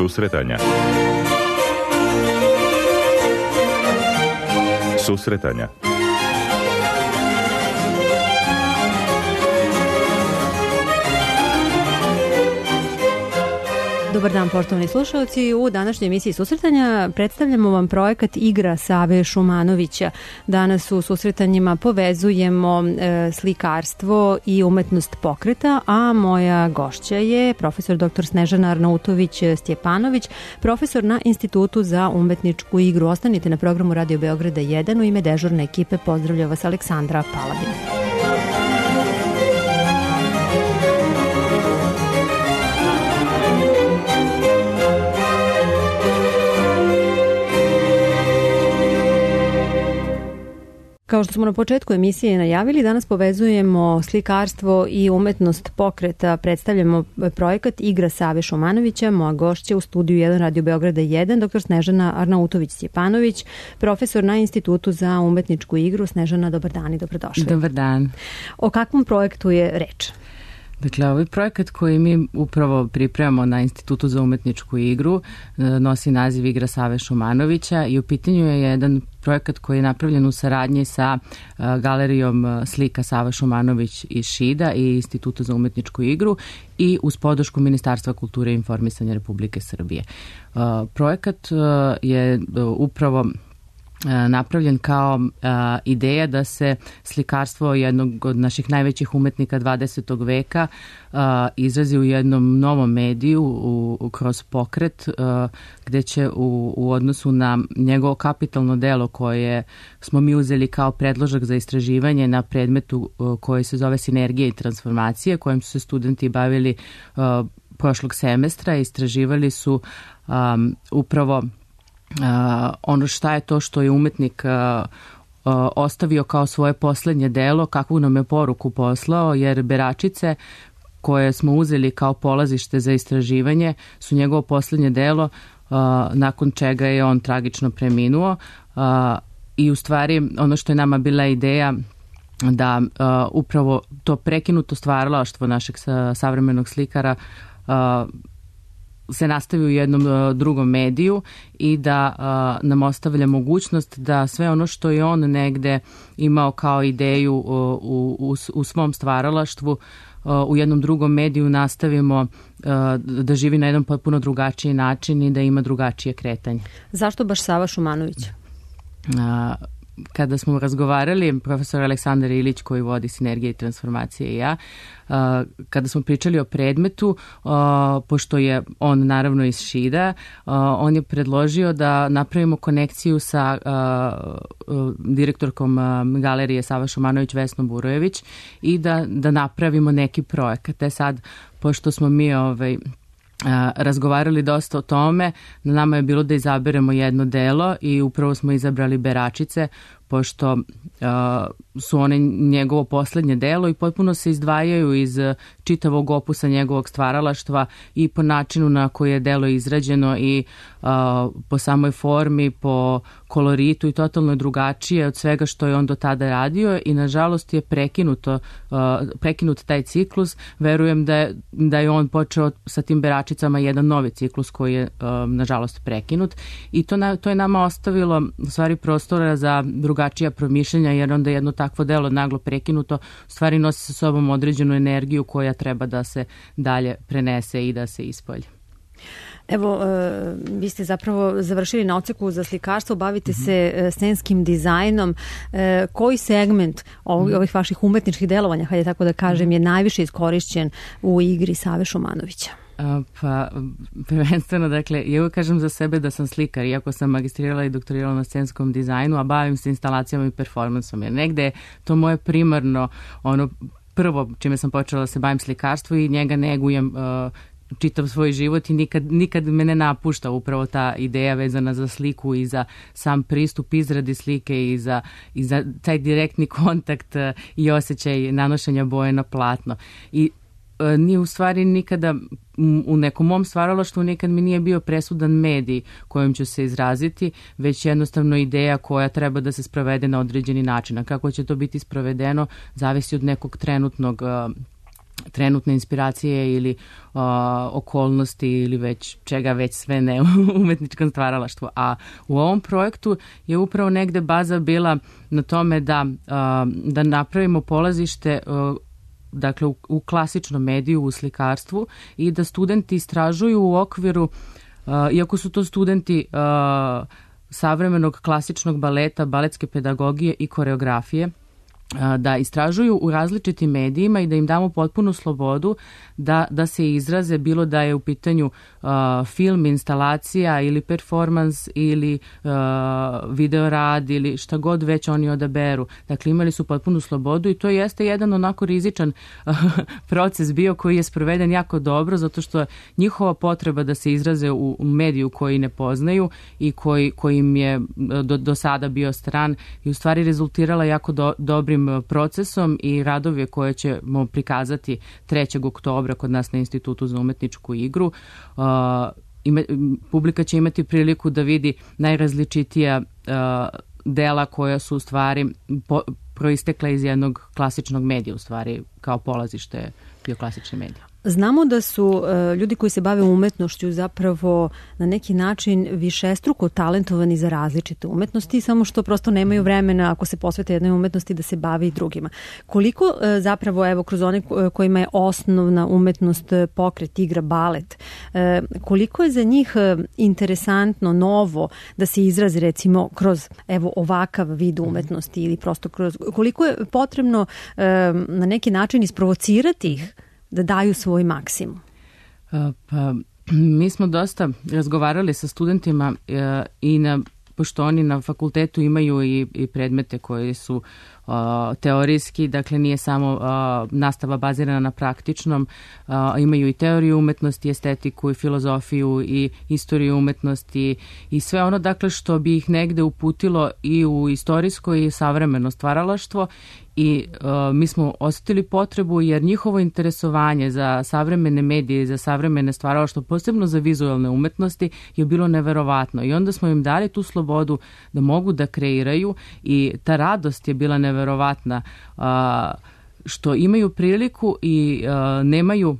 Susretanja. Susretanja. Dobar dan, poštovani slušalci. U današnjoj emisiji Susretanja predstavljamo vam projekat Igra Save Šumanovića. Danas u susretanjima povezujemo slikarstvo i umetnost pokreta, a moja gošća je profesor dr. Snežana Arnautović-Stjepanović, profesor na Institutu za umetničku igru. Ostanite na programu Radio Beograda 1. U ime dežurne ekipe pozdravlja vas Aleksandra Paladin. Kao što smo na početku emisije najavili, danas povezujemo slikarstvo i umetnost pokreta. Predstavljamo projekat Igra Save Šumanovića. Moja gošća u studiju 1 Radio Beograda 1, dr. Snežana Arnautović-Stjepanović, profesor na Institutu za umetničku igru. Snežana, dobar dan i dobrodošli. Dobar dan. O kakvom projektu je reč? Dakle, ovaj projekat koji mi upravo pripremamo na Institutu za umetničku igru nosi naziv Igra Save Šumanovića i u pitanju je jedan projekat koji je napravljen u saradnji sa galerijom slika Sava Šumanović iz Šida i Instituta za umetničku igru i uz podršku Ministarstva kulture i informisanja Republike Srbije. Projekat je upravo napravljen kao ideja da se slikarstvo jednog od naših najvećih umetnika 20. veka izrazi u jednom novom mediju kroz pokret, gde će u odnosu na njegovo kapitalno delo koje smo mi uzeli kao predložak za istraživanje na predmetu koji se zove Sinergija i transformacije, kojim su se studenti bavili prošlog semestra. Istraživali su upravo ono šta je to što je umetnik ostavio kao svoje poslednje delo, kakvu nam je poruku poslao, jer beračice koje smo uzeli kao polazište za istraživanje su njegovo poslednje delo, nakon čega je on tragično preminuo. I u stvari ono što je nama bila ideja da upravo to prekinuto stvaralaštvo našeg savremenog slikara se nastavi u jednom drugom mediju i da nam ostavlja mogućnost da sve ono što je on negde imao kao ideju u svom stvaralaštvu u jednom drugom mediju nastavimo da živi na jedan potpuno drugačiji način i da ima drugačije kretanje. Zašto baš Sava Šumanović? Kada smo razgovarali, profesor Aleksandar Ilić koji vodi Sinergije i transformacije i ja, kada smo pričali o predmetu, pošto je on naravno iz Šida, on je predložio da napravimo konekciju sa direktorkom galerije Sava Šumanović Vesnom Burojević i da napravimo neki projekat. Sad, pošto smo mi razgovarali dosta o tome, na nama je bilo da izaberemo jedno delo i upravo smo izabrali Beračice, pošto su one njegovo poslednje delo i potpuno se izdvajaju iz čitavog opusa njegovog stvaralaštva i po načinu na koji je delo izrađeno i po samoj formi, po koloritu i totalno drugačije od svega što je on do tada radio i nažalost je prekinut taj ciklus. Verujem da je on počeo sa tim Beračicama jedan novi ciklus koji je nažalost prekinut i to je nama ostavilo u stvari prostora za drugačija promišljanja, jer onda jedno takvo delo naglo prekinuto u stvari nosi sa sobom određenu energiju koja treba da se dalje prenese i da se ispolji. Evo, vi ste zapravo završili na odseku za slikarstvo, bavite se scenskim dizajnom. Koji segment ovih vaših umetničkih delovanja, hajde tako da kažem, je najviše iskorišćen u igri Save Šumanovića? Pa, prvenstveno, dakle, ja uvijek kažem za sebe da sam slikar, iako sam magistrirala i doktorirala na scenskom dizajnu, a bavim se instalacijama i performansom, jer negde je to moje primarno, prvo čime sam počela da se bavim slikarstvu i njega negujem čitav svoj život i nikad me ne napušta upravo ta ideja vezana za sliku i za sam pristup izradi slike i za taj direktni kontakt i osjećaj nanošenja boje na platno. I nije u stvari nikada u nekom mom stvaralaštvu nikad mi nije bio presudan medij kojim ću se izraziti, već jednostavno ideja koja treba da se sprovede na određeni način. A kako će to biti sprovedeno zavisi od nekog trenutne inspiracije ili okolnosti ili već čega već sve ne u umetničkom stvaralaštvu. A u ovom projektu je upravo negde baza bila na tome da napravimo polazište dakle u klasičnom mediju, u slikarstvu i da studenti istražuju u okviru, iako su to studenti savremenog klasičnog baleta, baletske pedagogije i koreografije, da istražuju u različitim medijima i da im damo potpunu slobodu da se izraze, bilo da je u pitanju film, instalacija ili performans ili video rad ili šta god već oni odaberu. Dakle, imali su potpunu slobodu i to jeste jedan onako rizičan proces bio koji je sproveden jako dobro, zato što njihova potreba da se izraze u mediju koji ne poznaju i koji im je do sada bio stran i u stvari rezultirala jako dobrim procesom i radove koje ćemo prikazati 3. oktobra kod nas na Institutu za umetničku igru. Publika će imati priliku da vidi najrazličitija dela koja su u stvari proistekla iz jednog klasičnog medija, u stvari kao polazište bio klasični medij. Znamo da su ljudi koji se bave umetnošću zapravo na neki način višestruko talentovani za različite umetnosti, samo što prosto nemaju vremena ako se posvete jednoj umetnosti da se bavi i drugima. Koliko zapravo, evo, kroz one kojima je osnovna umetnost pokret, igra, balet, koliko je za njih interesantno, novo da se izrazi recimo kroz evo ovakav vid umetnosti ili prosto kroz, koliko je potrebno na neki način isprovocirati ih da daju svoj maksimum? Pa, mi smo dosta razgovarali sa studentima i pošto oni na fakultetu imaju i predmete koji su teorijski, dakle nije samo nastava bazirana na praktičnom, imaju i teoriju umetnosti, estetiku i filozofiju i istoriju umetnosti i sve ono dakle što bi ih negde uputilo i u istorijsko i savremeno stvaralaštvo i mi smo osetili potrebu jer njihovo interesovanje za savremene medije i za savremene stvaralaštvo, posebno za vizualne umetnosti, je bilo neverovatno i onda smo im dali tu slobodu da mogu da kreiraju i ta radost je bila neverovatna što imaju priliku i nemaju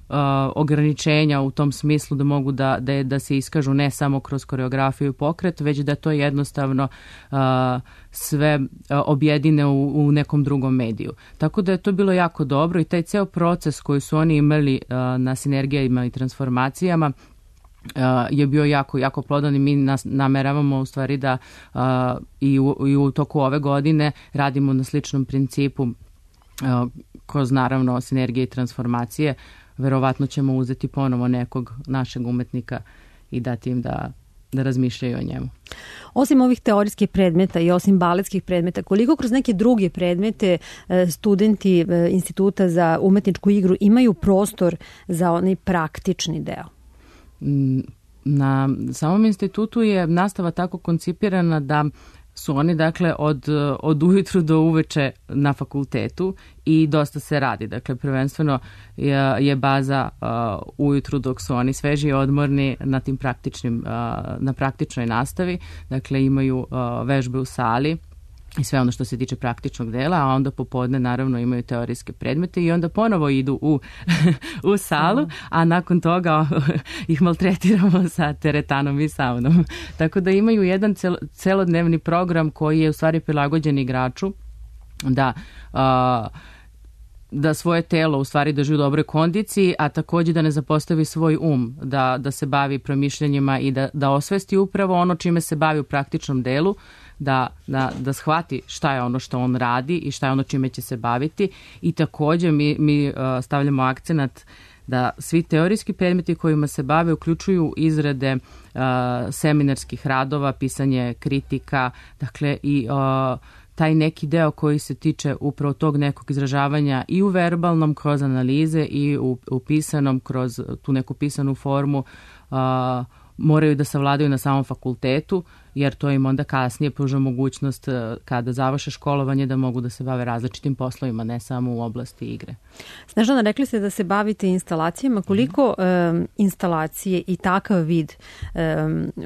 ograničenja u tom smislu da mogu da se iskažu ne samo kroz koreografiju i pokret, već da to jednostavno sve objedine u nekom drugom mediju. Tako da je to bilo jako dobro i taj ceo proces koji su oni imali na sinergijama i transformacijama je bio jako plodan i mi nameravamo u stvari da i u toku ove godine radimo na sličnom principu kroz naravno sinergije i transformacije. Verovatno ćemo uzeti ponovo nekog našeg umetnika i dati im da razmišljaju o njemu. Osim ovih teorijskih predmeta i osim baletskih predmeta, koliko kroz neke druge predmete studenti Instituta za umetničku igru imaju prostor za onaj praktični deo? Na samom institutu je nastava tako koncipirana da su oni dakle od ujutru do uveče na fakultetu i dosta se radi. Dakle, prvenstveno je baza ujutru dok su oni sveži i odmorni na praktičnoj nastavi. Dakle, imaju vežbe u sali i sve ono što se tiče praktičnog dela, a onda popodne naravno imaju teorijske predmete i onda ponovo idu u salu, a nakon toga ih maltretiramo sa teretanom i saunom. Tako da imaju jedan celodnevni program koji je u stvari prilagođen igraču da svoje telo u stvari drži u dobroj kondiciji, a takođe da ne zapostavi svoj da se bavi promišljanjima i da osvesti upravo ono čime se bavi u praktičnom delu, da shvati šta je ono što on radi i šta je ono čime će se baviti i takođe mi stavljamo akcenat da svi teorijski predmeti kojima se bave uključuju izrade seminarskih radova, pisanje kritika, dakle i taj neki deo koji se tiče upravo tog nekog izražavanja i u verbalnom kroz analize i u pisanom kroz tu neku pisanu formu moraju da savladaju na samom fakultetu, jer to im onda kasnije pruža mogućnost kada završe školovanje da mogu da se bave različitim poslovima, ne samo u oblasti igre. Snežana, rekli ste da se bavite instalacijama. Koliko instalacije i takav vid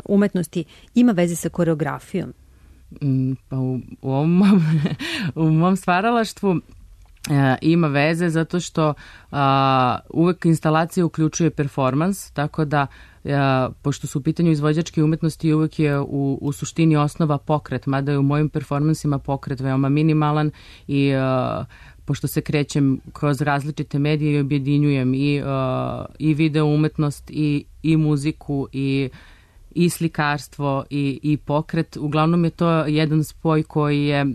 umetnosti ima veze sa koreografijom? Pa u mom stvaralaštvu ima veze zato što uvek instalacija uključuje performans, tako da pošto su u pitanju izvođačke umetnosti uvek je u suštini osnova pokret, mada je u mojim performansima pokret veoma minimalan i pošto se krećem kroz različite medije i objedinjujem i video umetnost i muziku i slikarstvo i pokret. Uglavnom je to jedan spoj koji je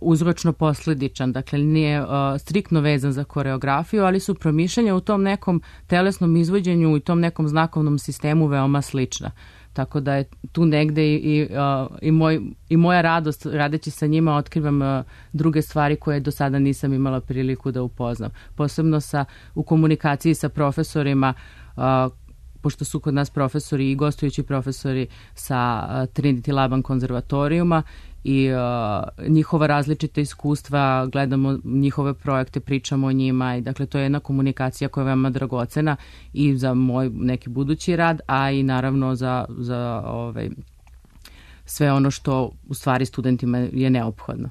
uzročno posledičan, dakle nije striktno vezan za koreografiju, ali su promišljanja u tom nekom telesnom izvođenju i tom nekom znakovnom sistemu veoma slična. Tako da je tu negde i moja radost radeći sa njima otkrivam druge stvari koje do sada nisam imala priliku da upoznam. Posebno u komunikaciji sa profesorima, pošto su kod nas profesori i gostujući profesori sa Trinity Laban konzervatorijuma i njihova različita iskustva, gledamo njihove projekte, pričamo o njima i dakle to je jedna komunikacija koja je veoma dragocena i za moj neki budući rad, a i naravno za sve ono što u stvari studentima je neophodno.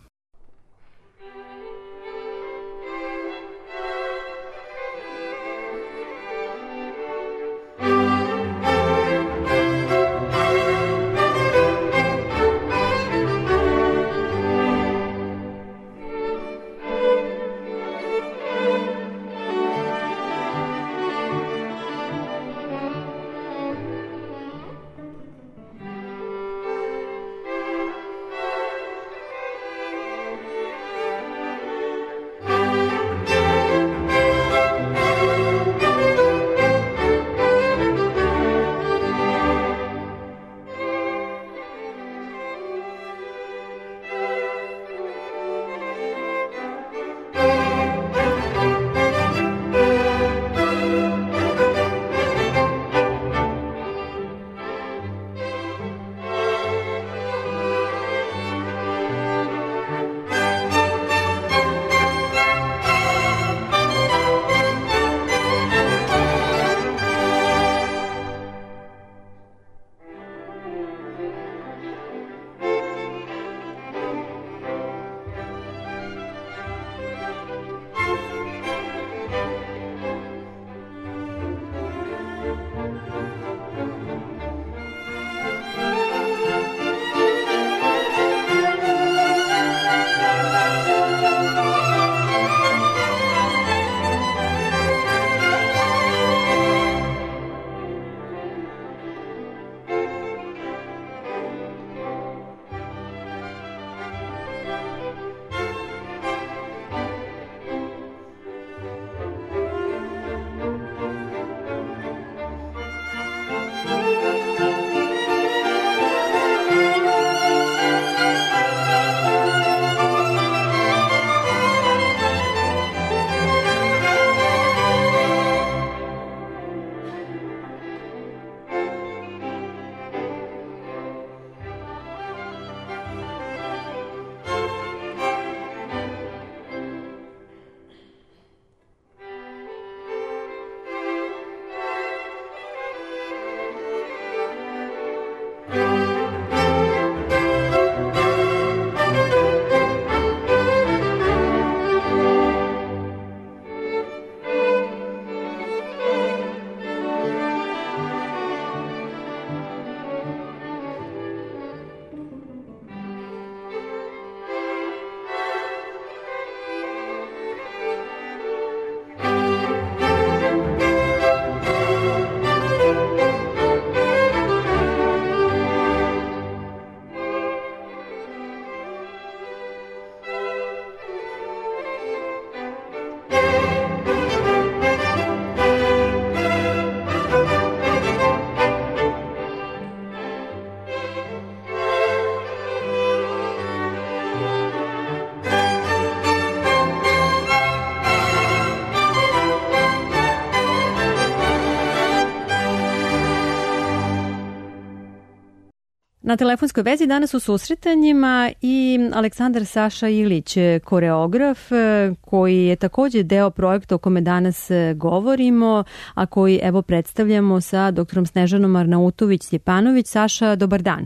Na telefonskoj vezi danas u susretanjima i Aleksandar Saša Ilić, koreograf koji je također deo projekta o kome danas govorimo, a koji evo predstavljamo sa doktorom Snežanom Arnautović-Stjepanović. Saša, dobar dan.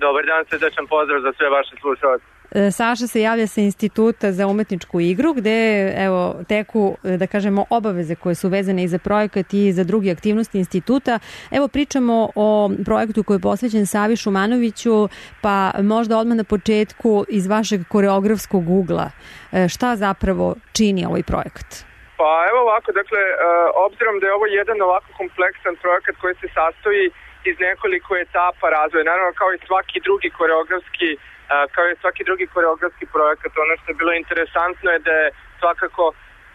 Dobar dan, srdečan pozdrav za sve vaše slušalce. Saša se javlja sa Instituta za umetničku igru, gde teku, da kažemo, obaveze koje su vezane i za projekat i za druge aktivnosti instituta. Evo, pričamo o projektu koji je posvećen Savi Šumanoviću, pa možda odmah na početku iz vašeg koreografskog ugla. Šta zapravo čini ovaj projekat? Pa evo ovako, dakle, obzirom da je ovo jedan ovako kompleksan projekat koji se sastoji iz nekoliko etapa razvoja, naravno kao i svaki drugi koreografski projekat, ono što je bilo interesantno je da je svakako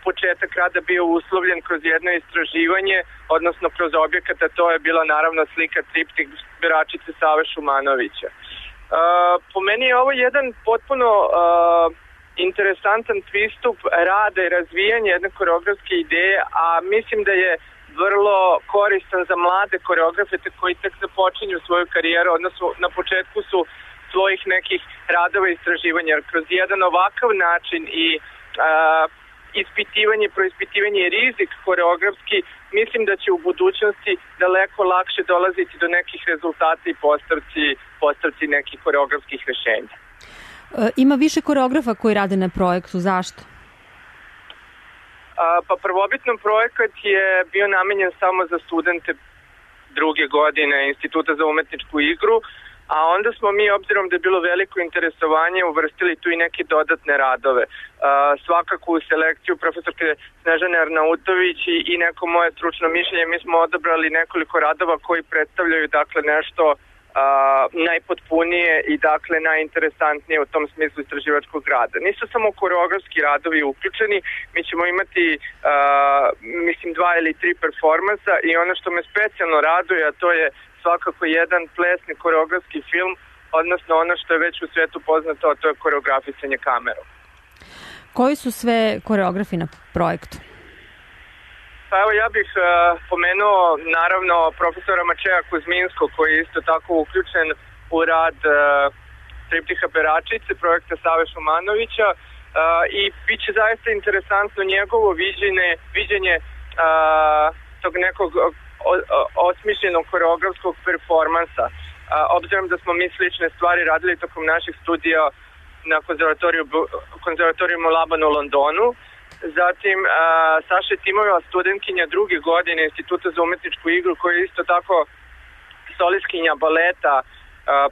početak rada bio uslovljen kroz jedno istraživanje, odnosno kroz objekata, to je bila naravno slika triptik Beračice Save Šumanovića. Po meni je ovo jedan potpuno interesantan pristup rada i razvijanja jedne koreografske ideje, a mislim da je vrlo koristan za mlade koreografe koji tek započinju svoju karijeru, odnosno na početku su svojih nekih radova i istraživanja. Kroz jedan ovakav način i proispitivanje i rizik koreografski, mislim da će u budućnosti daleko lakše dolaziti do nekih rezultata i postavci nekih koreografskih rešenja. Ima više koreografa koji rade na projektu, zašto? Pa prvobitno projekat je bio namenjen samo za studente druge godine Instituta za umetničku igru, a onda smo mi, obzirom da je bilo veliko interesovanje, uvrstili tu i neke dodatne radove. Svakako u selekciju profesorke Snežane Arnautović i neko moje stručno mišljenje, mi smo odabrali nekoliko radova koji predstavljaju dakle nešto najpotpunije i dakle najinteresantnije u tom smislu istraživačkog rada. Nisu samo koreografski radovi uključeni, mi ćemo imati 2 ili 3 performansa i ono što me specijalno raduje, a to je svakako jedan plesni koreografski film, odnosno ono što je već u svetu poznato, a to je koreografisanje kamerom. Koji su sve koreografi na projektu? Pa evo ja bih pomenuo naravno profesora Mačeja Kuzminskog koji je isto tako uključen u rad triptiha Beračice, projekta Save Šumanovića i bit će zaista interesantno njegovo viđenje tog nekog osmišljenog koreografskog performansa. Obzirom da smo mi slične stvari radili tokom naših studija na konzervatorijumu Laban u Londonu. Zatim Saša Timojeva, studentkinja druge godine Instituta za umetničku igru, koja je isto tako solistkinja baleta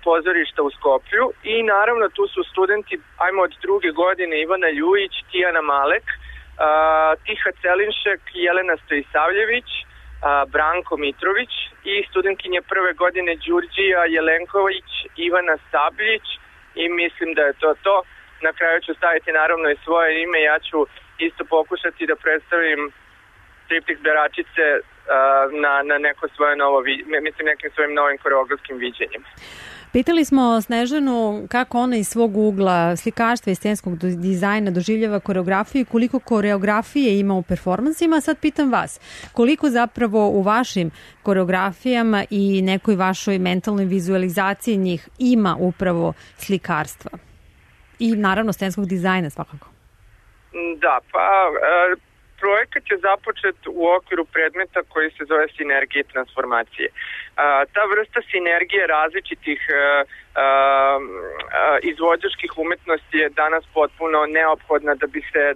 pozorišta u Skoplju. I naravno tu su studenti, od druge godine, Ivana Ljujić, Tijana Malek, Tiha Celinšek, Jelena Stojisavljević, Branko Mitrović i studentkinje prve godine Đurđija Jelenković, Ivana Sabljić i mislim da je to. Na kraju ću staviti naravno i svoje ime, ja ću isto pokušati da predstavim triptih Beračice na neko svoje nekim svojim novim koreografskim viđenjem. Pitali smo Snežanu kako ona iz svog ugla slikarstva i scenskog dizajna doživljava koreografiju i koliko koreografije ima u performansima. Sad pitam vas, koliko zapravo u vašim koreografijama i nekoj vašoj mentalnoj vizualizaciji njih ima upravo slikarstva? I naravno scenskog dizajna svakako. Da, projekat je započet u okviru predmeta koji se zove sinergije i transformacije. Ta vrsta sinergije različitih izvođačkih umetnosti je danas potpuno neophodna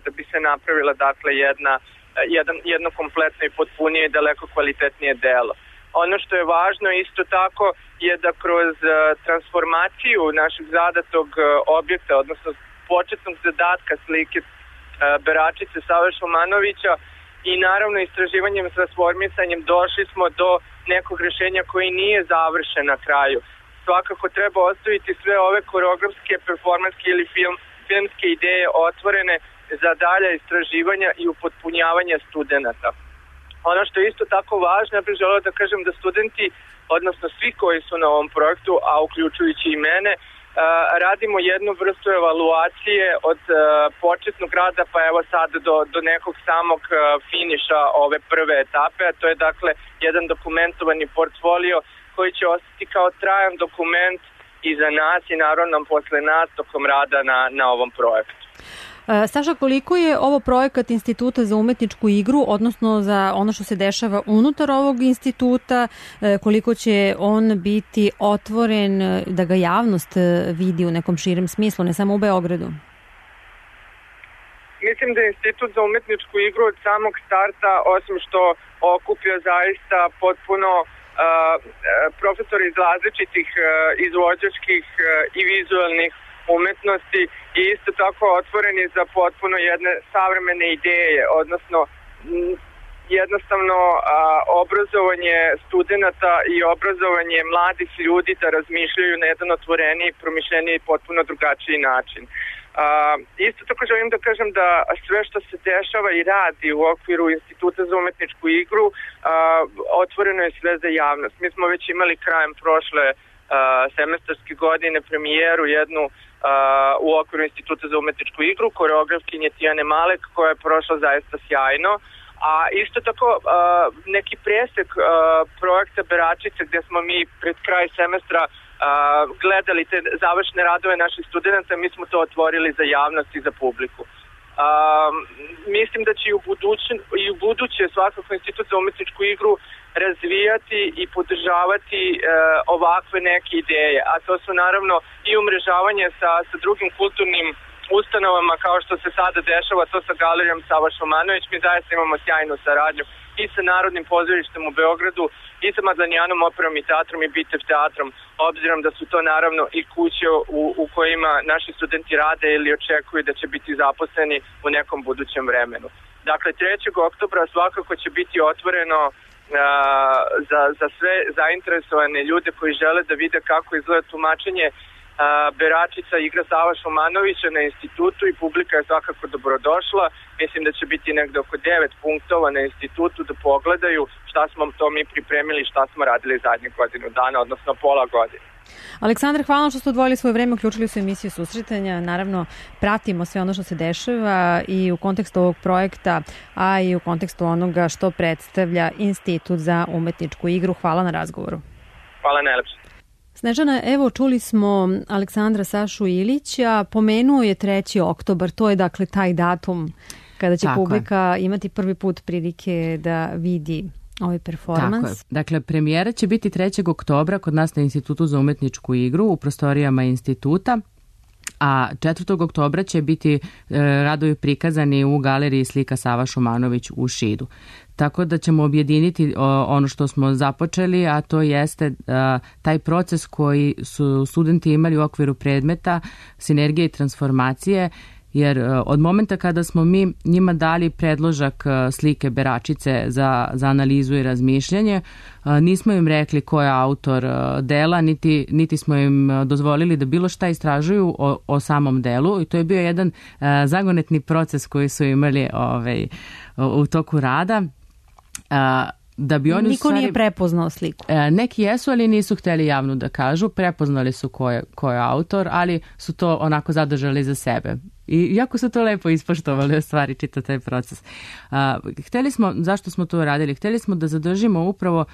da bi se napravila dakle jedno kompletno i potpunije i daleko kvalitetnije delo. Ono što je važno isto tako je da kroz transformaciju našeg zadatog objekta, odnosno početnog zadatka slike Beračice Save Šumanovića i naravno istraživanjem s transformisanjem došli smo do nekog rešenja koji nije završen na kraju. Svakako treba ostaviti sve ove koreografske, performanske ili filmske ideje otvorene za dalja istraživanja i upotpunjavanja studenta. Ono što je isto tako važno, ja bih želeo da kažem da studenti, odnosno svi koji su na ovom projektu, a uključujući i mene, radimo jednu vrstu evaluacije od početnog rada pa evo sad do nekog samog finiša ove prve etape, a to je dakle jedan dokumentovani portfolio koji će ostati kao trajan dokument i za nas i naravno posle nas tokom rada na ovom projektu. Saša, koliko je ovo projekat Instituta za umetničku igru, odnosno za ono što se dešava unutar ovog instituta, koliko će on biti otvoren da ga javnost vidi u nekom širem smislu, ne samo u Beogradu? Mislim da je Institut za umetničku igru od samog starta, osim što okuplja zaista potpuno profesori iz različitih izvođačkih i vizualnih umetnosti i isto tako otvoreni za potpuno jedne savremene ideje, odnosno jednostavno obrazovanje studenata i obrazovanje mladih ljudi da razmišljaju na jedan otvoreniji, promišljeniji i potpuno drugačiji način. Isto tako želim da kažem da sve što se dešava i radi u okviru Instituta za umetničku igru otvoreno je sve za javnost. Mi smo već imali krajem prošle semestarske godine premijeru jednu u okviru Instituta za umetničku igru koreografkinje Tijane Malek koja je prošla zaista sjajno. A isto tako neki presek projekta Beračice gdje smo mi pred kraj semestra gledali te završne radove naših studenta, mi smo to otvorili za javnost i za publiku. Mislim da će i u buduće svakako Institut za umetničku igru razvijati i podržavati ovakve neke ideje, a to su naravno i umrežavanje sa drugim kulturnim ustanovama kao što se sada dešava to sa galerijom Sava Šumanović. Mi zaista imamo sjajnu saradnju i sa Narodnim pozorištem u Beogradu i sa Mazanijanom operom i teatrom i Bitev teatrom, obzirom da su to naravno i kuće u kojima naši studenti rade ili očekuju da će biti zaposleni u nekom budućem vremenu. Dakle, 3. oktobra svakako će biti otvoreno za sve zainteresovane ljude koji žele da vide kako izgleda tumačenje Beračica igra Sava Šumanovića na institutu i publika je svakako dobrodošla. Mislim da će biti negde oko 9 punktova na institutu da pogledaju šta smo to mi pripremili i šta smo radili zadnjih godinu dana, odnosno pola godine. Aleksandar, hvala što ste odvojili svoje vreme, uključili su emisiju Susretanja. Naravno, pratimo sve ono što se dešava i u kontekstu ovog projekta, a i u kontekstu onoga što predstavlja Institut za umetničku igru. Hvala na razgovoru. Hvala najlepše. Snežana, evo čuli smo Aleksandra Sašu Ilića, pomenuo je 3. oktobar, to je dakle taj datum kada će publika imati prvi put prilike da vidi ovaj performans. Tako je. Dakle, premijera će biti 3. oktobra kod nas na Institutu za umetničku igru u prostorijama instituta, a 4. oktobra će biti radovi prikazani u galeriji slika Sava Šumanović u Šidu. Tako da ćemo objediniti ono što smo započeli, a to jeste taj proces koji su studenti imali u okviru predmeta sinergije i transformacije, jer od momenta kada smo mi njima dali predložak slike Beračice za analizu i razmišljanje, nismo im rekli ko je autor dela, niti smo im dozvolili da bilo šta istražuju o samom delu, i to je bio jedan zagonetni proces koji su imali u toku rada. Da bi oni Niko nije prepoznao sliku. Neki jesu, ali nisu hteli javno da kažu. Prepoznali su ko je autor, ali su to onako zadržali za sebe. I jako su to lepo ispoštovali, u stvari, čita taj proces. Hteli smo, zašto smo to radili? Hteli smo da zadržimo upravo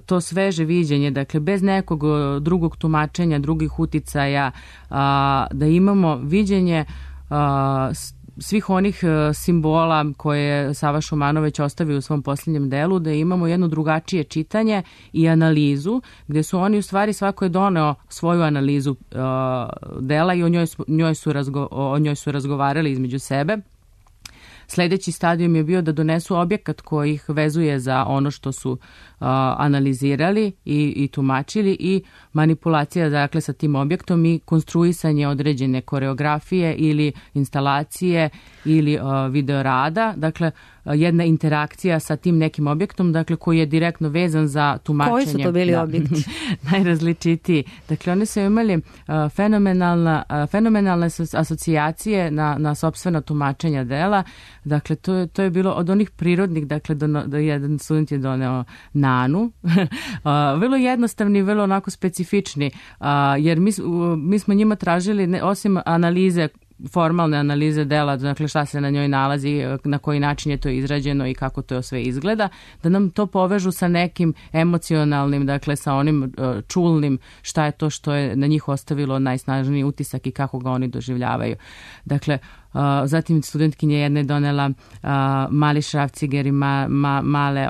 to sveže viđenje, dakle bez nekog drugog tumačenja, drugih uticaja, da imamo viđenje svih onih simbola koje je Sava Šumanović ostavio u svom posljednjem delu, da imamo jedno drugačije čitanje i analizu, gdje su oni u stvari, svako je doneo svoju analizu dela i o njoj su razgovarali između sebe. Sljedeći stadijum je bio da donesu objekat koji ih vezuje za ono što su analizirali i tumačili, i manipulacija, dakle, sa tim objektom i konstruisanje određene koreografije ili instalacije ili videorada, dakle jedna interakcija sa tim nekim objektom, dakle koji je direktno vezan za tumačenje. Koji su to bili objekti? Najrazličitiji. Dakle, oni su imali fenomenalne asocijacije na sopstvena tumačenja dela. Dakle, to je bilo od onih prirodnih, dakle, da jedan student je doneo Nanu. Vrlo jednostavni, vrlo onako specifični, jer mi smo njima tražili, osim analize, formalne analize dela, dakle šta se na njoj nalazi, na koji način je to izrađeno i kako to sve izgleda, da nam to povežu sa nekim emocionalnim, dakle sa onim čulnim, šta je to što je na njih ostavilo najsnažniji utisak i kako ga oni doživljavaju. Dakle, zatim studentkinja jedna je donela mali šrafciger i male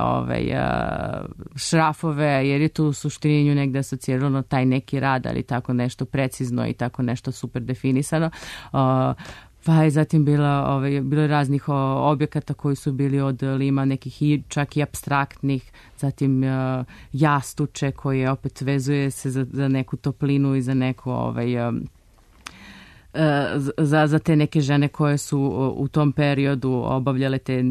šrafove, jer je tu u suštini nju negde asocirano taj neki rad, ali tako nešto precizno i tako nešto super definisano. Pa je zatim bilo raznih objekata koji su bili od lima, nekih i čak i apstraktnih, zatim jastuče koje opet vezuje se za neku toplinu i za neku za te neke žene koje su u tom periodu obavljale te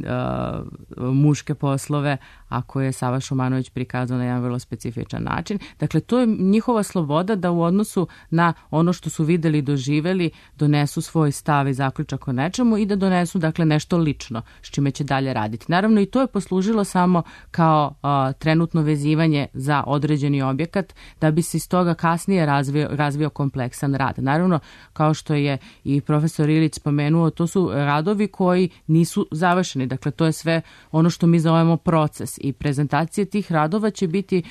muške poslove, a koje je Sava Šumanović prikazao na jedan vrlo specifičan način. Dakle, to je njihova sloboda da u odnosu na ono što su videli i doživeli donesu svoj stav i zaključak o nečemu i da donesu, dakle, nešto lično s čime će dalje raditi. Naravno, i to je poslužilo samo kao trenutno vezivanje za određeni objekat da bi se iz toga kasnije razvio kompleksan rad. Naravno, kao što je i profesor Ilić spomenuo, to su radovi koji nisu završeni. Dakle, to je sve ono što mi zovemo proces i prezentacije tih radova će biti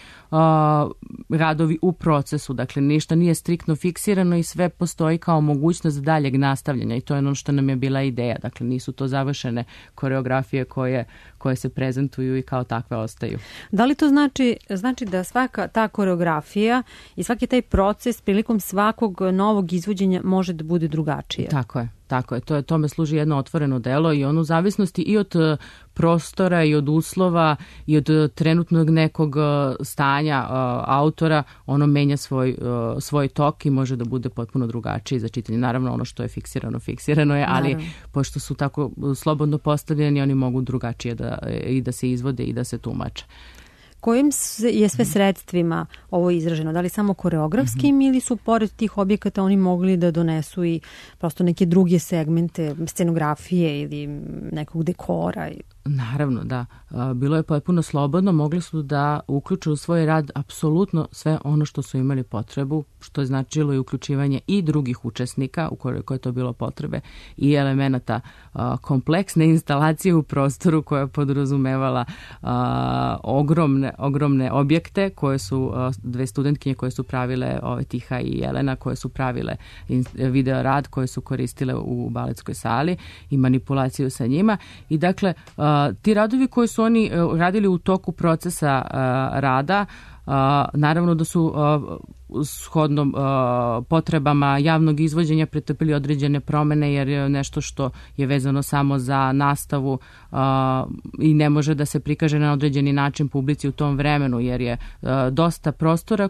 radovi u procesu. Dakle, ništa nije striktno fiksirano i sve postoji kao mogućnost daljeg nastavljanja i to je ono što nam je bila ideja. Dakle, nisu to završene koreografije koje se prezentuju i kao takve ostaju. Da li to znači da svaka ta koreografija i svaki taj proces prilikom svakog novog izvođenja može da bude drugačije? Tako je. Tome služi jedno otvoreno delo i ono u zavisnosti i od prostora i od uslova i od trenutnog nekog stanja autora, ono menja svoj tok i može da bude potpuno drugačiji za čitanje. Naravno, ono što je fiksirano je, ali pošto su tako slobodno postavljeni, oni mogu drugačije da se izvode i da se tumače. Kojim je sve sredstvima ovo izraženo? Da li samo koreografskim ili su pored tih objekata oni mogli da donesu i prosto neke druge segmente, scenografije ili nekog dekora? Naravno, da. Bilo je potpuno slobodno, mogli su da uključe u svoj rad apsolutno sve ono što su imali potrebu, što je značilo i uključivanje i drugih učesnika, ukoliko je to bilo potrebe, i elemenata kompleksne instalacije u prostoru koja je podrazumevala ogromne objekte koje su dve studentkinje koje su pravile, Tiha i Jelena, koje su pravile video rad, koje su koristile u baletskoj sali i manipulaciju sa njima. I dakle, ti radovi koji su oni radili u toku procesa rada, naravno da su shodno potrebama javnog izvođenja pretrpili određene promene, jer je nešto što je vezano samo za nastavu i ne može da se prikaže na određeni način publici u tom vremenu, jer je dosta prostora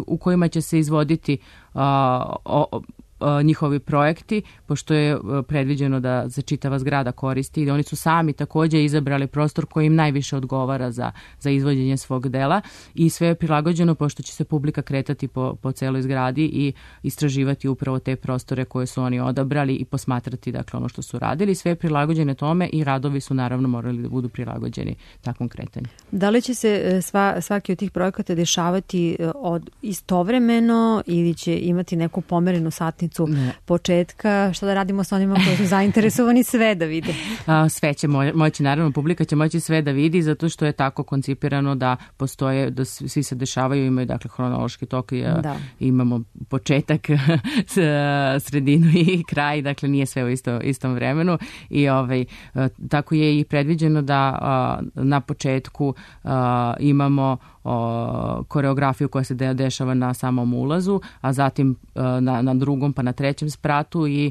u kojima će se izvoditi njihovi projekti, pošto je predviđeno da se čitava zgrada koristi i da oni su sami također izabrali prostor koji im najviše odgovara za izvođenje svog dela i sve je prilagođeno pošto će se publika kretati po celoj zgradi i istraživati upravo te prostore koje su oni odabrali i posmatrati, dakle, ono što su radili. Sve je prilagođene tome i radovi su naravno morali da budu prilagođeni takvom kretanju. Da li će se svaki od tih projekata dešavati istovremeno ili će imati neku pomerenu satnicu početka? Šta da radimo sa onima koji su zainteresovani sve da vide? Sve će moći, naravno, publika će moći sve da vidi, zato što je tako koncipirano da postoje, da svi se dešavaju, imaju, dakle, hronološki tok i imamo početak, sredinu i kraj, dakle nije sve u istom vremenu i tako je i predviđeno da na početku imamo koreografiju koja se dešava na samom ulazu, a zatim na drugom pa na trećem spratu i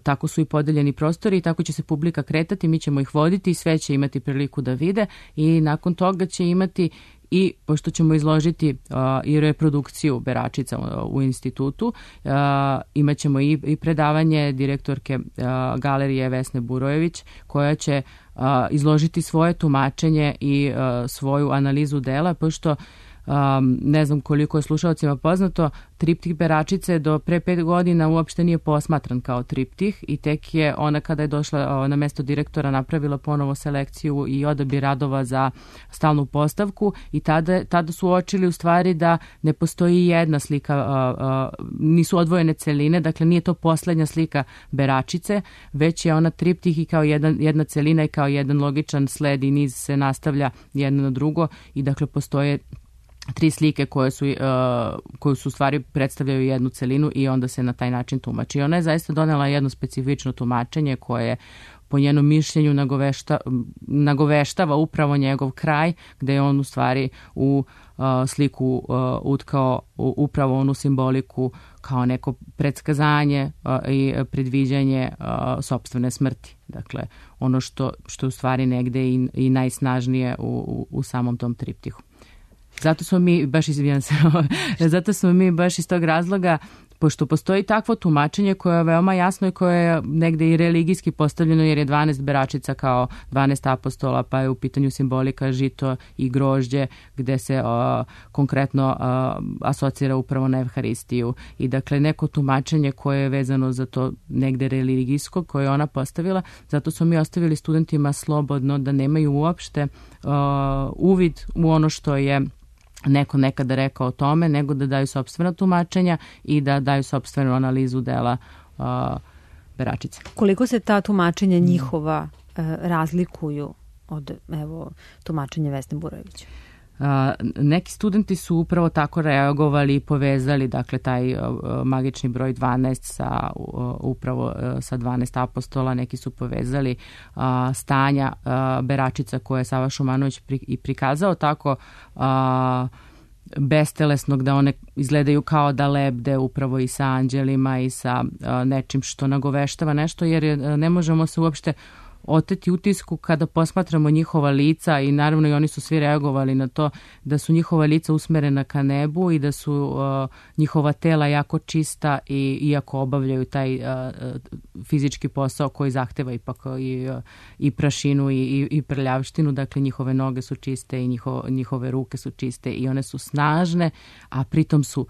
tako su i podeljeni prostori i tako će se publika kretati, mi ćemo ih voditi i sve će imati priliku da vide i nakon toga će imati i pošto ćemo izložiti i reprodukciju Beračica u institutu, imat ćemo i predavanje direktorke galerije Vesne Burojević koja će izložiti svoje tumačenje i svoju analizu dela, pošto ne znam koliko je slušalcima poznato, triptih Beračice do pre 5 godina uopšte nije posmatran kao triptih i tek je ona kada je došla na mesto direktora napravila ponovo selekciju i odabir radova za stalnu postavku i tada su uočili u stvari da ne postoji jedna slika, nisu odvojene celine, dakle nije to poslednja slika Beračice, već je ona triptih i kao jedna celina i kao jedan logičan sled i niz se nastavlja jedno na drugo i dakle postoje 3 slike koje su u stvari predstavljaju jednu celinu i onda se na taj način tumači. Ona je zaista donela jedno specifično tumačenje koje po njenom mišljenju nagoveštava upravo njegov kraj, gde je on u stvari u sliku utkao upravo onu simboliku kao neko predskazanje i predviđanje sopstvene smrti. Dakle, ono što je u stvari negde i najsnažnije u samom tom triptihu. Zato smo mi baš iz tog razloga, pošto postoji takvo tumačenje koje je veoma jasno i koje je negde i religijski postavljeno, jer je 12 beračica kao 12 apostola, pa je u pitanju simbolika žito i grožđe, gde se konkretno asocira upravo na Evharistiju. I dakle, neko tumačenje koje je vezano za to negde religijsko, koje je ona postavila, zato smo mi ostavili studentima slobodno da nemaju uopšte uvid u ono što je neko nekada rekao o tome, nego da daju sopstvena tumačenja i da daju sopstvenu analizu dela beračice. Koliko se ta tumačenja njihova razlikuju od tumačenja Vesne Burojevića? Neki studenti su upravo tako reagovali i povezali, dakle, taj magični broj 12 upravo sa 12 apostola. Neki su povezali stanja beračica koje je Sava Šumanović i prikazao tako bestelesnog, da one izgledaju kao da lebde upravo i sa anđelima i sa nečim što nagoveštava nešto, jer ne možemo se uopšte oteti utisku kada posmatramo njihova lica, i naravno i oni su svi reagovali na to, da su njihova lica usmerena ka nebu i da su njihova tela jako čista, i iako obavljaju taj fizički posao koji zahteva ipak i prašinu i prljavštinu, dakle njihove noge su čiste i njihove ruke su čiste i one su snažne, a pritom su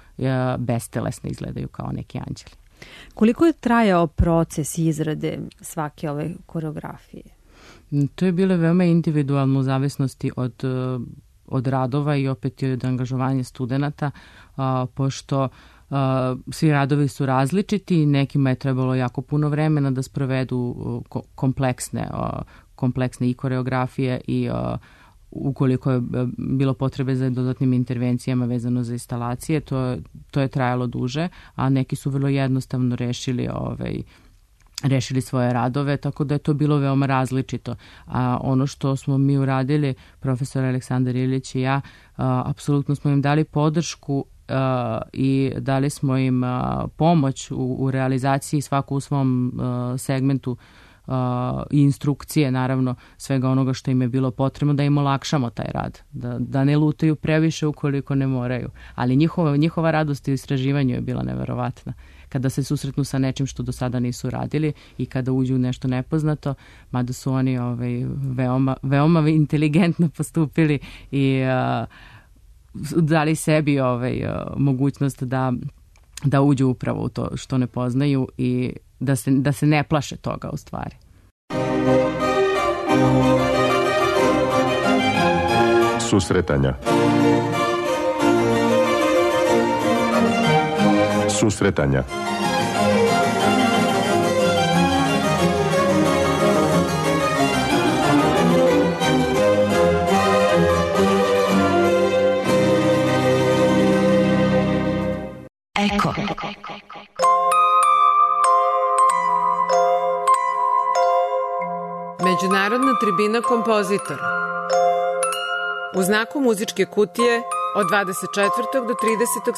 bestelesne, izgledaju kao neki anđeli. Koliko je trajao proces izrade svake ove koreografije? To je bilo veoma individualno u zavisnosti od radova i opet od angažovanja studenata, pošto svi radovi su različiti, nekima je trebalo jako puno vremena da sprovedu kompleksne i koreografije i ukoliko je bilo potrebe za dodatnim intervencijama vezano za instalacije, to je trajalo duže, a neki su vrlo jednostavno rešili svoje radove, tako da je to bilo veoma različito. A ono što smo mi uradili, profesor Aleksandar Ilić i ja, apsolutno smo im dali podršku i dali smo im pomoć u realizaciji, svako u svom segmentu, i instrukcije, naravno, svega onoga što im je bilo potrebno, da im olakšamo taj rad, da ne lutaju previše ukoliko ne moraju. Ali njihova radost u istraživanju je bila neverovatna. Kada se susretnu sa nečim što do sada nisu radili i kada uđu u nešto nepoznato, mada su oni veoma inteligentno postupili i dali sebi mogućnost da uđu upravo u to što ne poznaju i da se ne plaše toga u stvari. Susretanja. Susretanja. Eko. Međunarodna tribina kompozitora. U znaku muzičke kutije od 24. do 30.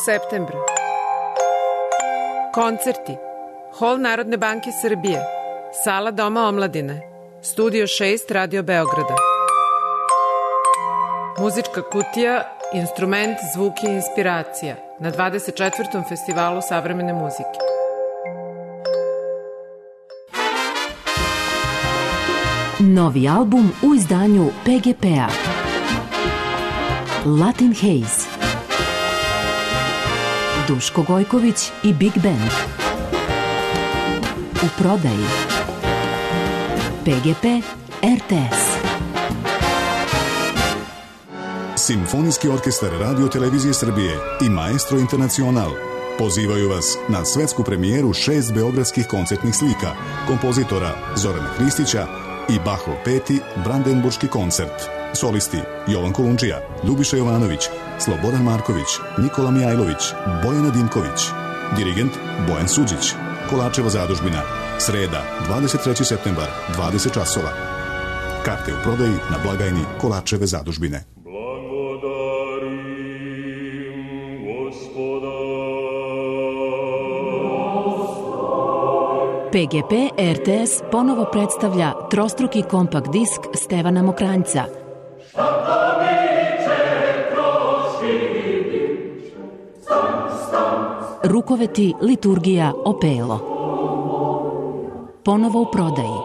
septembra. Koncerti. Hol Narodne banke Srbije. Sala Doma omladine. Studio 6 Radio Beograda. Muzička kutija, instrument, zvuk i inspiracija na 24. festivalu savremene muzike. Novi album u izdanju PGP-a. Latin Haze. Duško Gojković i Big Band. U prodaji. PGP RTS. Simfonijski orkestar Radio Televizije Srbije i Maestro Internacional pozivaju vas na svetsku premijeru 6 beogradskih koncertnih slika kompozitora Zorana Hristića i Bachov 5. Brandenburški koncert. Solisti Jovan Kolundžija, Ljubiša Jovanović, Slobodan Marković, Nikola Mijajlović, Bojana Dimković. Dirigent Bojan Suđić. Kolačeva zadužbina. Sreda, 23. septembar, 20 časova. Karte u prodaji na blagajni Kolačeve zadužbine. PGP RTS ponovo predstavlja trostruki kompakt disk Stevana Mokranjca. Rukoveti, liturgija, opelo. Ponovo u prodaji.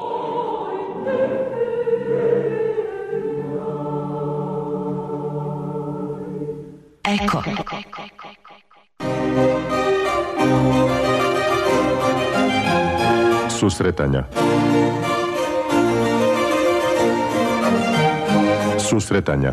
Eko. Susretanja. Susretanja.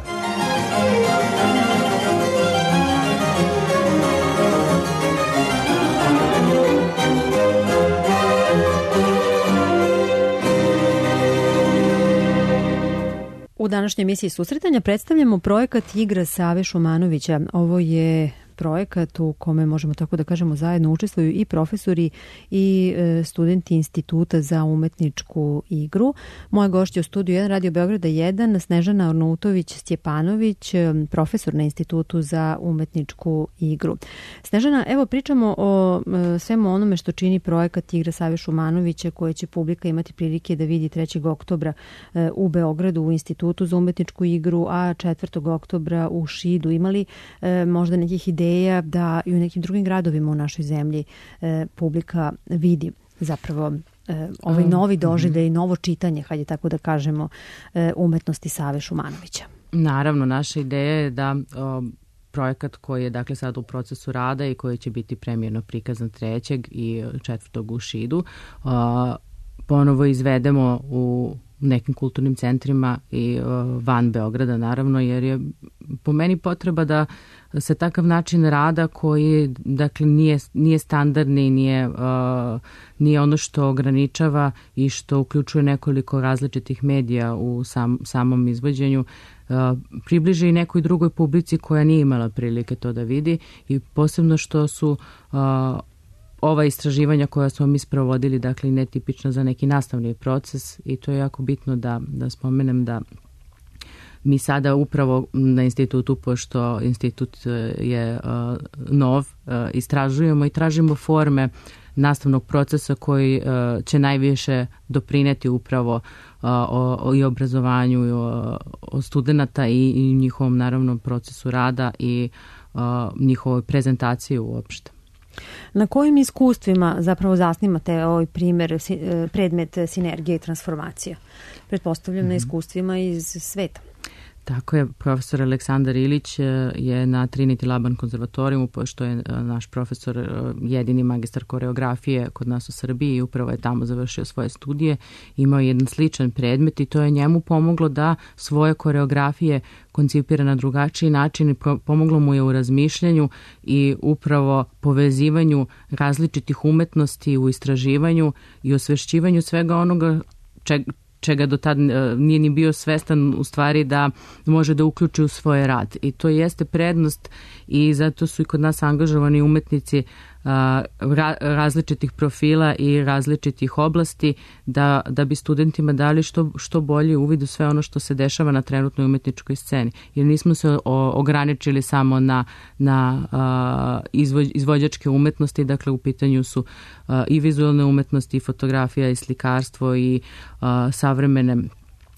U današnjoj emisiji Susretanja predstavljamo projekat Igra Save Šumanovića. Ovo je projekat u kome, možemo tako da kažemo, zajedno učestvuju i profesori i studenti Instituta za umetničku igru. Moja gošća u studiju 1 Radio Beograda 1, Snežana Arnautović-Stjepanović, profesor na Institutu za umetničku igru. Snežana, evo pričamo o svemu onome što čini projekat Igra Save Šumanovića, koje će publika imati prilike da vidi 3. oktobra u Beogradu u Institutu za umetničku igru, a 4. oktobra u Šidu. Imali možda nekih ideja da i u nekim drugim gradovima u našoj zemlji publika vidi zapravo ovaj novi doživljaj i novo čitanje, hajde tako da kažemo, umetnosti Save Šumanovića? Naravno, naša ideja je da projekat koji je dakle sad u procesu rada i koji će biti premijerno prikazan 3. i 4. u Šidu ponovo izvedemo u nekim kulturnim centrima i van Beograda, naravno, jer je po meni potreba da se takav način rada koji dakle nije standardni, nije ono što ograničava i što uključuje nekoliko različitih medija u samom izvođenju, približi i nekoj drugoj publici koja nije imala prilike to da vidi, i posebno što su ova istraživanja koja smo mi sprovodili, dakle, netipična za neki nastavni proces, i to je jako bitno da spomenem da mi sada upravo na institutu, pošto institut je nov, istražujemo i tražimo forme nastavnog procesa koji će najviše doprineti upravo i obrazovanju o studenta i njihovom, naravno, procesu rada i njihovoj prezentaciji uopšte. Na kojim iskustvima zapravo zasnimate ovaj predmet sinergije i transformacija? Pretpostavljam na iskustvima iz sveta. Tako je, profesor Aleksandar Ilić je na Trinity Laban konzervatorijumu, pošto je naš profesor jedini magistar koreografije kod nas u Srbiji i upravo je tamo završio svoje studije. Imao je jedan sličan predmet i to je njemu pomoglo da svoje koreografije koncipira na drugačiji način i pomoglo mu je u razmišljanju i upravo povezivanju različitih umetnosti u istraživanju i osvešćivanju svega onoga čega do tad nije ni bio svestan u stvari da može da uključi u svoj rad. I to jeste prednost i zato su i kod nas angažovani umetnici različitih profila i različitih oblasti da bi studentima dali što bolji uvid u sve ono što se dešava na trenutnoj umetničkoj sceni. Jer nismo se ograničili samo na izvođačke umetnosti, dakle u pitanju su i vizualne umetnosti, i fotografija, i slikarstvo, i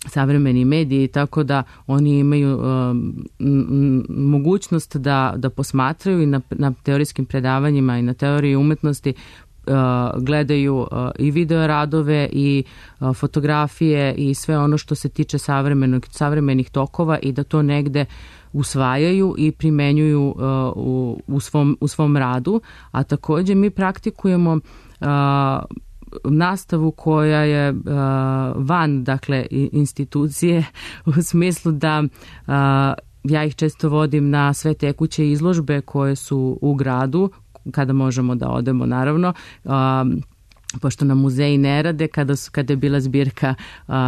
savremeni mediji, tako da oni imaju mogućnost da posmatraju i na teorijskim predavanjima i na teoriji umetnosti gledaju i video radove i fotografije i sve ono što se tiče savremenih tokova i da to negde usvajaju i primenjuju u svom radu. A takođe mi praktikujemo nastavu koja je van, dakle, institucije, u smislu da ja ih često vodim na sve tekuće izložbe koje su u gradu, kada možemo da odemo, naravno. pošto nam muzeji ne rade, kada je bila zbirka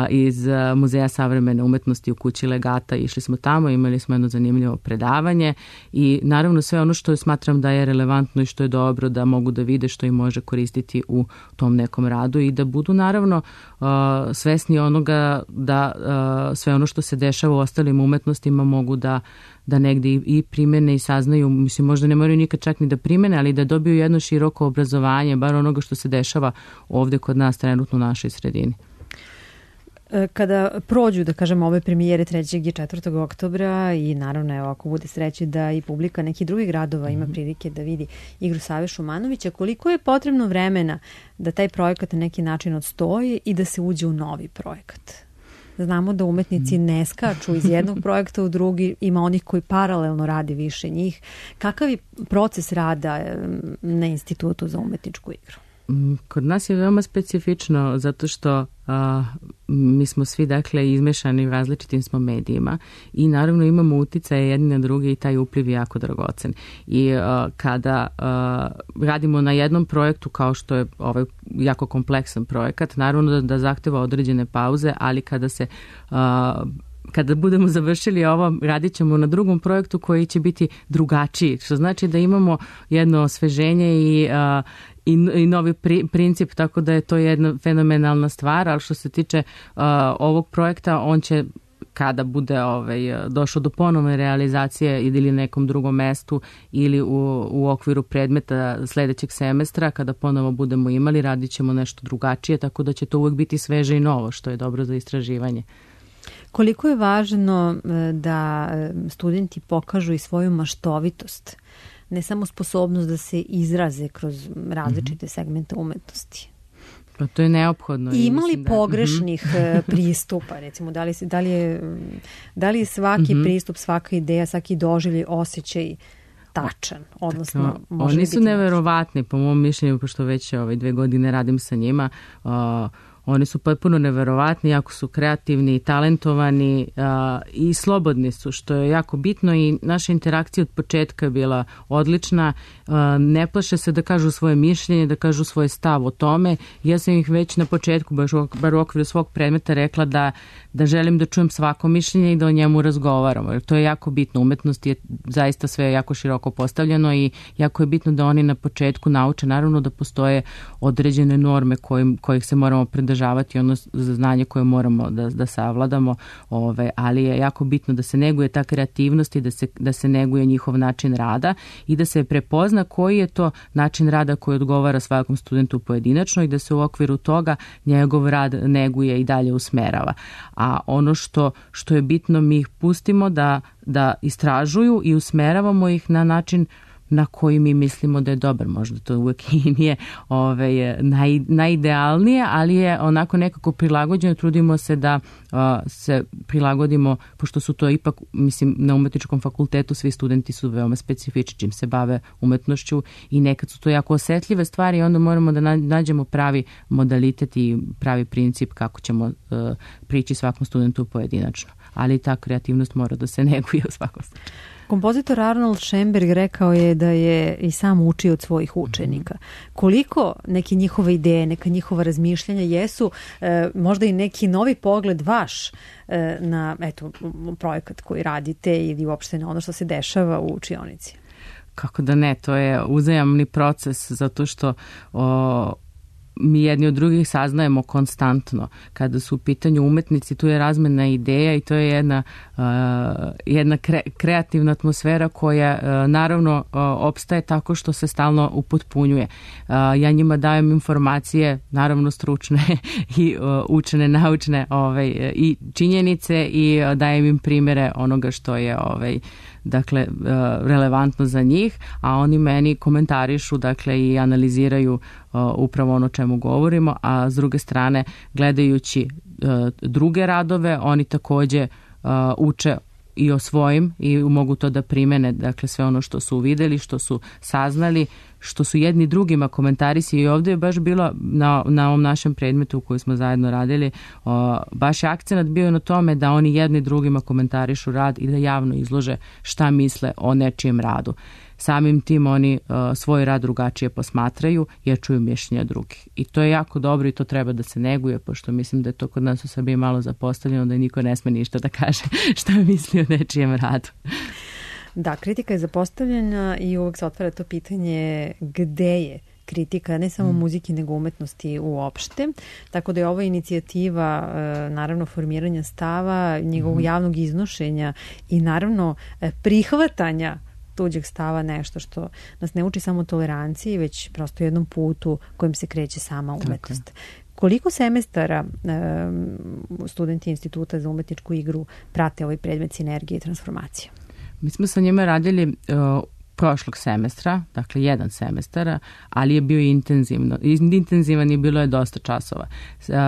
iz Muzeja savremene umetnosti u kući Legata, išli smo tamo, imali smo jedno zanimljivo predavanje i naravno sve ono što smatram da je relevantno i što je dobro da mogu da vide, što im može koristiti u tom nekom radu i da budu naravno svesni onoga da sve ono što se dešava u ostalim umetnostima mogu da negde i primene i saznaju, mislim možda ne moraju nikad čak ni da primene, ali da dobiju jedno široko obrazovanje, bar onoga što se dešava ovde kod nas trenutno u našoj sredini. Kada prođu, da kažem, ove premijere 3. i 4. oktobra i naravno evo ako bude sreće da i publika nekih drugih gradova ima prilike da vidi igru Save Šumanovića, koliko je potrebno vremena da taj projekat na neki način odstoji i da se uđe u novi projekat? Znamo da umetnici ne skaču iz jednog projekta u drugi, ima onih koji paralelno radi više njih. Kakav je proces rada na Institutu za umetničku igru? Kod nas je veoma specifično zato što mi smo svi dakle izmešani u različitim smo medijima i naravno imamo uticaje jedni na druge i taj upliv je jako dragocen. I kada radimo na jednom projektu kao što je ovaj jako kompleksan projekat, naravno da zahteva određene pauze, ali kada budemo završili ovo, radit ćemo na drugom projektu koji će biti drugačiji, što znači da imamo jedno osveženje i novi princip, tako da je to jedna fenomenalna stvar, ali što se tiče ovog projekta, on će kada bude došao do ponovne realizacije ili nekom drugom mestu ili u okviru predmeta sledećeg semestra, kada ponovo budemo imali, radit ćemo nešto drugačije, tako da će to uvek biti sveže i novo, što je dobro za istraživanje. Koliko je važno da studenti pokažu i svoju maštovitost, ne samo sposobnost da se izraze kroz različite segmente umetnosti? Pa to je neophodno. I ima li pogrešnih pristupa, recimo, da li je svaki pristup, svaka ideja, svaki doživljaj, osjećaj tačan, odnosno može oni su neverovatni, po mom mišljenju, pošto već 2 godine radim sa njima, oni su potpuno neverovatni, jako su kreativni i talentovani i slobodni su, što je jako bitno i naša interakcija od početka je bila odlična. Ne plaše se da kažu svoje mišljenje, da kažu svoj stav o tome. Ja sam ih već na početku, bar u okviru svog predmeta, rekla da želim da čujem svako mišljenje i da o njemu razgovaramo. Jer to je jako bitno. Umetnost je zaista sve jako široko postavljeno i jako je bitno da oni na početku nauče, naravno da postoje određene norme kojih se moramo pridržavati, ono znanje koje moramo da savladamo, ali je jako bitno da se neguje ta kreativnost i da se neguje njihov način rada i da se prepozna koji je to način rada koji odgovara svakom studentu pojedinačno i da se u okviru toga njegov rad neguje i dalje usmerava. A ono što je bitno, mi ih pustimo da istražuju i usmeravamo ih na način na koji mi mislimo da je dobar. Možda to uvek i nije najidealnije, ali je onako nekako prilagođeno. Trudimo se da se prilagodimo, pošto su to ipak, mislim, na umetničkom fakultetu svi studenti su veoma specifični čim se bave umetnošću i nekad su to jako osetljive stvari i onda moramo da nađemo pravi modalitet i pravi princip kako ćemo prići svakom studentu pojedinačno. Ali ta kreativnost mora da se neguje u svakom slučaju. Kompozitor Arnold Schoenberg rekao je da je i sam učio od svojih učenika. Koliko neke njihove ideje, neka njihova razmišljanja jesu možda i neki novi pogled vaš na projekat koji radite ili uopšte na ono što se dešava u učionici? Kako da ne, to je uzajamni proces zato što mi jedni od drugih saznajemo konstantno. Kada su u pitanju umetnici, tu je razmena ideja i to je jedna kreativna atmosfera koja naravno opstaje tako što se stalno upotpunjuje. Ja njima dajem informacije, naravno stručne i učene, naučne i činjenice i dajem im primjere onoga što je dakle relevantno za njih, a oni meni komentarišu i analiziraju upravo ono čemu govorimo, a s druge strane gledajući druge radove oni takođe uče i o svojim i mogu to da primene, dakle sve ono što su videli, što su saznali, što su jedni drugima komentarisali. I ovdje je baš bilo na ovom našem predmetu u kojem smo zajedno radili, baš je akcenat bio na tome da oni jedni drugima komentarišu rad i da javno izlože šta misle o nečijem radu. samim tim oni svoj rad drugačije posmatraju jer čuju mišljenja drugih. I to je jako dobro i to treba da se neguje, pošto mislim da je to kod nas u Srbiji malo zapostavljeno, da niko ne sme ništa da kaže šta misli o nečijem radu. Da, kritika je zapostavljena i uvek se otvara to pitanje gde je kritika, ne samo muzike, nego umetnosti uopšte. Tako da je ova inicijativa, naravno, formiranja stava, njegovog javnog iznošenja i naravno prihvatanja tuđeg stava nešto što nas ne uči samo toleranciji, već prosto jednom putu kojim se kreće sama umetnost. Koliko semestara studenti Instituta za umetničku igru prate ovaj predmet sinergije i transformacije? Mi smo sa njima radili prošlog semestra, dakle 1 semestar, ali je bio intenzivan i bilo je dosta časova.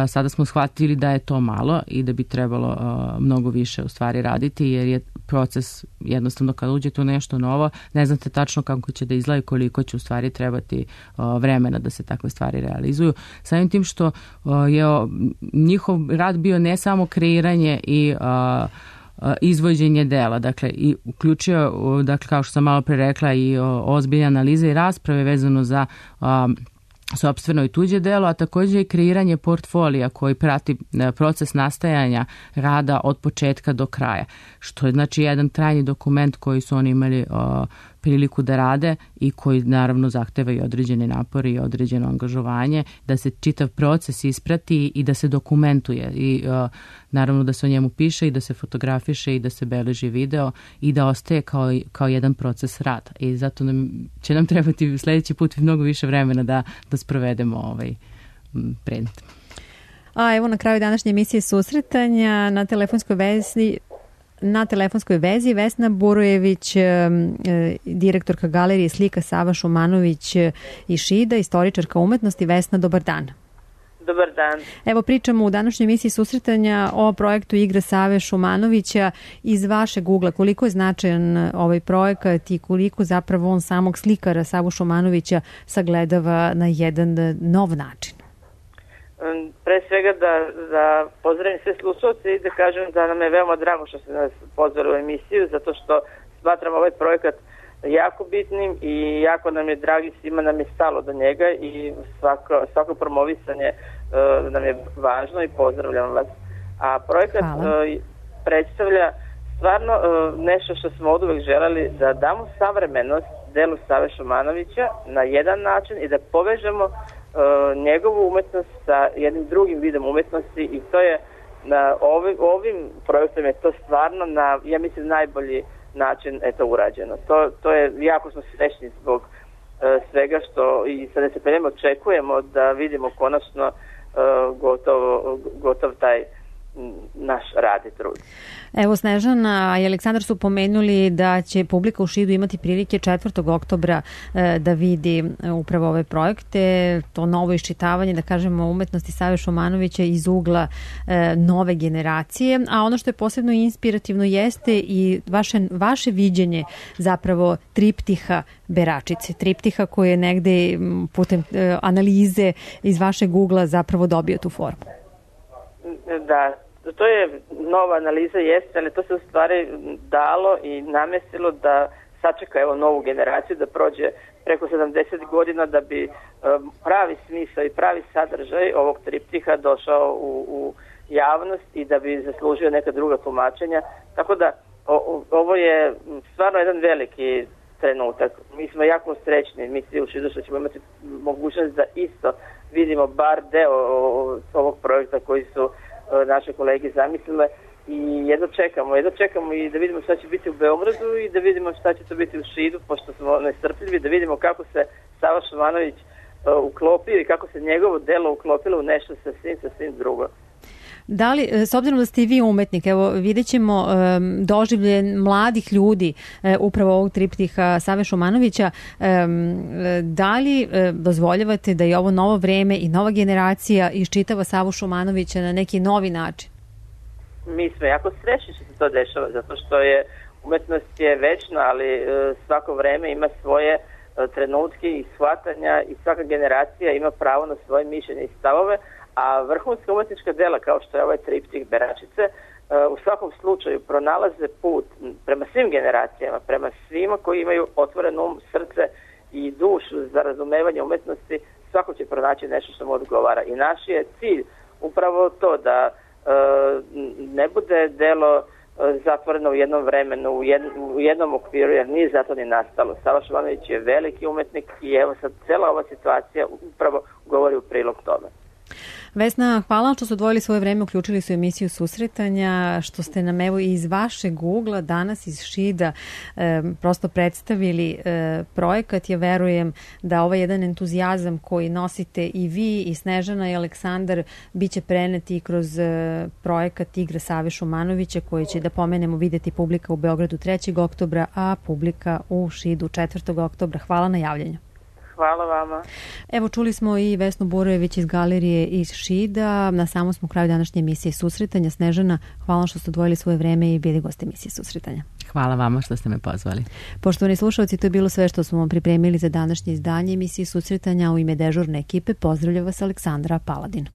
Sada smo shvatili da je to malo i da bi trebalo mnogo više u stvari raditi, jer je proces jednostavno kad uđete u nešto novo, ne znate tačno kako će da izgleda i koliko će u stvari trebati vremena da se takve stvari realizuju. Samim tim što je njihov rad bio ne samo kreiranje i izvođenje dela, dakle i uključio, dakle kao što sam malo pre rekla, i ozbiljne analize i rasprave vezano za sopstveno i tuđe delo, a također i kreiranje portfolija koji prati proces nastajanja rada od početka do kraja, što je znači jedan trajni dokument koji su oni imali priliku da rade i koji naravno zahteva i određene napore i određeno angažovanje, da se čitav proces isprati i da se dokumentuje i naravno da se o njemu piše i da se fotografiše i da se beleži video i da ostaje kao jedan proces rada. I zato će nam trebati sljedeći put mnogo više vremena da sprovedemo ovaj predmet. A evo na kraju današnje emisije susretanja na telefonskoj vezi Vesna Burojević, direktorka galerije slika Sava Šumanović iz Šida, istoričarka umetnosti. Vesna, dobar dan. Dobar dan. Evo pričamo u današnjoj emisiji susretanja o projektu Igra Save Šumanovića. Iz vašeg ugla, koliko je značajan ovaj projekat i koliko zapravo on samog slikara Savu Šumanovića sagledava na jedan nov način? Pre svega da pozdravim sve slušalce i da kažem da nam je veoma drago što ste nas pozvali u emisiju, zato što smatram ovaj projekat jako bitnim i jako nam je dragi, svima nam je stalo do njega i svako promovisanje nam je važno i pozdravljam vas. A projekat predstavlja stvarno nešto što smo od uvek želeli, da damo savremenost delu Save Šumanovića na jedan način i da povežemo njegovu umetnost sa jednim drugim vidom umetnosti i to je ovim projektom je to stvarno na, ja mislim, najbolji način urađeno. To je, jako smo srećni zbog svega što i sa nestrpljenjem očekujemo da vidimo konačno gotov taj naš rad i trud. Evo, Snežana i Aleksandar su pomenuli da će publika u Šidu imati prilike 4. oktobra da vidi upravo ove projekte, to novo iščitavanje, da kažemo, umetnosti Save Šumanovića iz ugla nove generacije, a ono što je posebno inspirativno jeste i vaše viđenje zapravo triptiha Beračice, triptiha koji je negde putem analize iz vašeg ugla zapravo dobio tu formu. Da, to je nova analiza, jeste, ali to se u stvari dalo i namestilo da sačeka novu generaciju, da prođe preko 70 godina da bi pravi smisao i pravi sadržaj ovog triptiha došao u javnost i da bi zaslužio neka druga tumačenja. Tako da ovo je stvarno jedan veliki trenutak. Mi smo jako srećni, mi svi u Šidu što ćemo imati mogućnost da isto vidimo bar deo ovog projekta koji su naše kolege zamislile i jedno čekamo i da vidimo šta će biti u Beogradu i da vidimo šta će to biti u Šidu, pošto smo nestrpljivi, da vidimo kako se Sava Šumanović uklopio i kako se njegovo delo uklopilo u nešto sasvim drugo. Da li, s obzirom da ste i vi umetnik, evo vidjet ćemo doživlje mladih ljudi upravo ovog triptiha Save Šumanovića, da li dozvoljavate da je ovo novo vreme i nova generacija iščitava Savu Šumanovića na neki novi način? Mi smo jako srećni što se to dešava, zato što je umetnost je večna, ali svako vreme ima svoje trenutke i shvatanja i svaka generacija ima pravo na svoje mišljenje i stavove, a vrhunska umetnička dela kao što je ovaj triptih Beračice u svakom slučaju pronalaze put prema svim generacijama, prema svima koji imaju otvoren srce i dušu za razumevanje umetnosti, svako će pronaći nešto što mu odgovara. I naš je cilj upravo to da ne bude delo zatvoreno u jednom vremenu, u jednom okviru, jer nije zato ni nastalo. Sava Šumanović je veliki umetnik i evo sad cela ova situacija upravo govori u prilog tome. Vesna, hvala što ste odvojili svoje vreme, uključili su emisiju Susretanja, što ste nam evo iz vašeg ugla danas iz Šida prosto predstavili projekat. Ja verujem da ovaj jedan entuzijazam koji nosite i vi i Snežana i Aleksandar biće preneti kroz projekat Igra Save Šumanovića, koji će, da pomenemo, videti publika u Beogradu 3. oktobra, a publika u Šidu 4. oktobra. Hvala na javljanju. Hvala vama. Evo, čuli smo i Vesnu Burojević iz galerije iz Šida. Na samom smo kraju današnje emisije Susretanja. Snežana, hvala što ste odvojili svoje vreme i bili gosti emisije Susretanja. Hvala vama što ste me pozvali. Poštovani slušalci, to je bilo sve što smo vam pripremili za današnje izdanje emisije Susretanja. U ime dežurne ekipe pozdravlja vas Aleksandra Paladin.